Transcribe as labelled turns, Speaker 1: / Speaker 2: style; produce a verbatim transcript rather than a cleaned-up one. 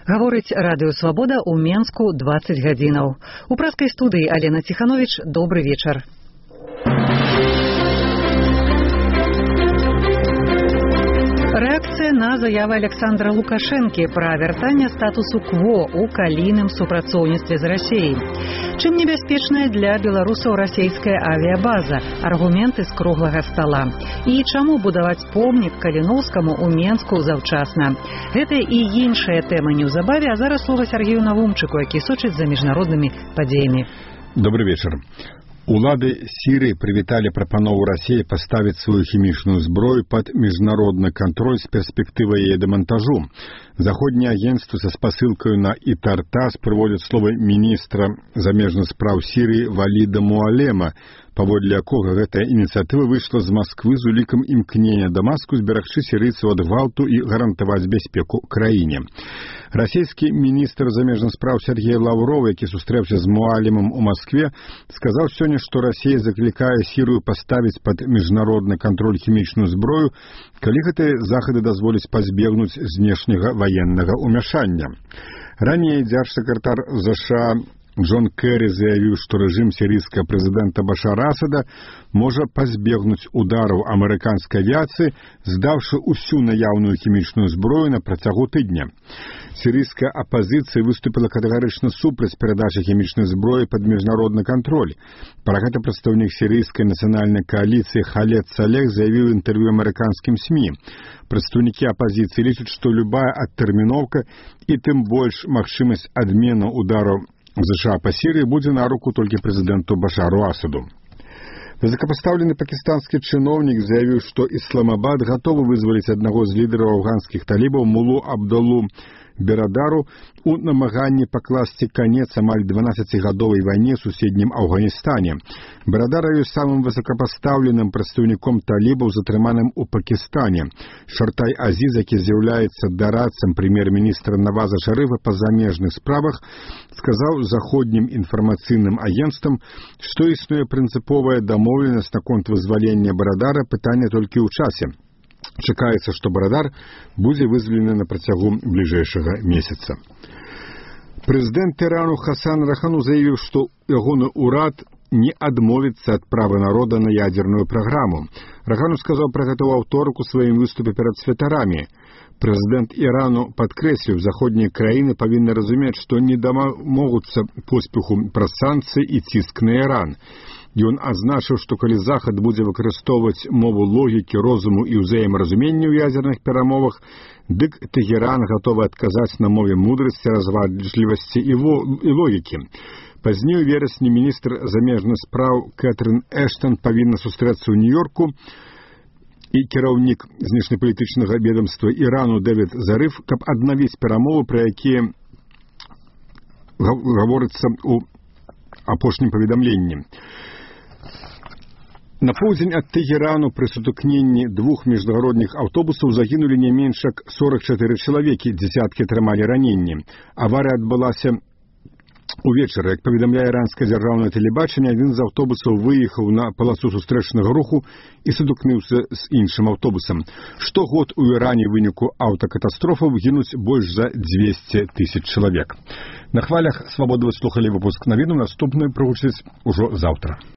Speaker 1: Гаворыць радыё «Свабода» ў Менску дваццаць гадзінаў. У праскай студыі Алена Ціханович, добры вечар. Рэакцыя на заявы Александра Лукашэнкі пра вяртанне статусу кво ў калійным супрацоўніцтве з Расіяй. Чым небяспечная для беларусаў расійская авіябаза? Аргументы з круглага стала. І чаму будаваць помнік Каліноўскаму ў Менску заўчасна? Гэта і іншыя тэмы неўзабаве, а зараз слова Сергею Навумчыку, які сочыць за міжнароднымі падзеямі.
Speaker 2: Добрый вечар. Улады Сірыі прывіталі прапанову Расіі паставіць сваю хімічную зброю пад міжнародны кантроль з перспектывай яе дэмантажу. Заходнія агенцтвы са спасылкаю на Ітартас прыводзяць словы міністра замежных спраў Сірыі Валіда Муалема, паводле якога гэтая ініцыятыва выйшла з Масквы з улікам імкнення Дамаску зберагчы сірыйцаў ад гвалту і гарантаваць бяспеку краіне. Расійскі міністр замежных спраў Сергей Лавров, які сустрэўся з Муалемам у Маскве, сказаў сёння, што Расія заклікае Сірыю паставіць пад міжнародны кантроль хімічную зброю, калі гэтыя захады дазволяць пазбегнуць знешняга ваеннага ўмяшання. Раней дзяржсакратар ЗША Джон Керри заявіў, што рэжым сірыйскага прэзідэнта Башара Асада можа пазбегнуць удараў амерыканскай авіяцыі, здаўшы ўсю наяўную хімічную зброю на працягу тыдня. Сірыйская апазіцыя выступіла катэгарычна супраць перадачы хімічнай зброі пад міжнародны кантроль. Пра гэта прадстаўнік сірыйскай нацыянальнай кааліцыі Халед Салех заявіў у інтэрв'ю амерыканскім СМІ. Прадстаўнікі апазіцыі лічаць, што любая адтэрміноўка і тым больш магчымасць адмены удараў ЗША па Сірыі будзе на руку толькі прэзідэнту Башару Асаду. Высокапастаўлены пакістанскі чыноўнік заявіў, што Ісламабад гатовы вызваліць аднаго з лідараў афганскіх талібаў Мулу Абдулу Берадару у намаганні пакласці канец амаль дванаццацігадовай вайне ў суседнім Афганістане. Берадар ёсць самым высокапастаўленым прадстаўніком талібаў, затрыманым у Пакістане. Шартай Азіз, які з'яўляецца дарадцам прэм'ер-міністра Наваза Шарыфа па замежных справах, сказаў заходнім інфармацыйным агенцтвам, што існуе прынцыповая дамоўленасць наконт вызвалення Берадара, пытанне толькі ў часе. Чакаецца, што Берадар будзе вызвалены на працягу бліжэйшага месяца. Прэзідэнт Ірану Хасан Рахану заявіў, што ягоны ўрад не адмовіцца ад права народа на ядзерную праграму. Рахану сказаў пра гэта ў аўторак у сваім выступе перад святарамі. Прэзідэнт Ірану падкрэсліў, заходнія краіны павінны разумець, што не дамогуцца поспеху праз санкцыі і ціск на Іран. Ён адзначыў, што калі Захад будзе выкарыстоўваць мову логікі, розуму і ўзаемаразумення ў ядзерных перамовах, дык Тэгеран гатовы адказаць на мове мудрасці, разважлівасці і, і логікі. Пазней у верасні міністр замежных спраў Кэтрын Эштон павінна сустрэцца ў Нью-Йорку і кіраўнік знешнепалітычнага ведамства Ірану Дэвід Зарыф, каб аднавіць перамовы, пра якія гаворыцца ў апошнім паведамленні. На поўдзень ад Тэгерану пры сутыкненні двух міжнародных аўтобусаў загінулі не менш як сорок чатыры чалавекі, дзесяткі атрымалі раненні. Аварыя адбылася увечары. Як паведамляе іранскае дзяржаўнае тэлебачанне, адзін з аўтобусаў выехаў на паласу сустрэчнага руху і сутыкнуўся з іншым аўтобусам. Штогод у Іране ў выніку аўтакатастрофаў гінуць больш за дзвесце тысяч чалавек. На хвалях «Свабоды» вы слухалі выпуск навінаў, наступны прагучыць ужо заўтра.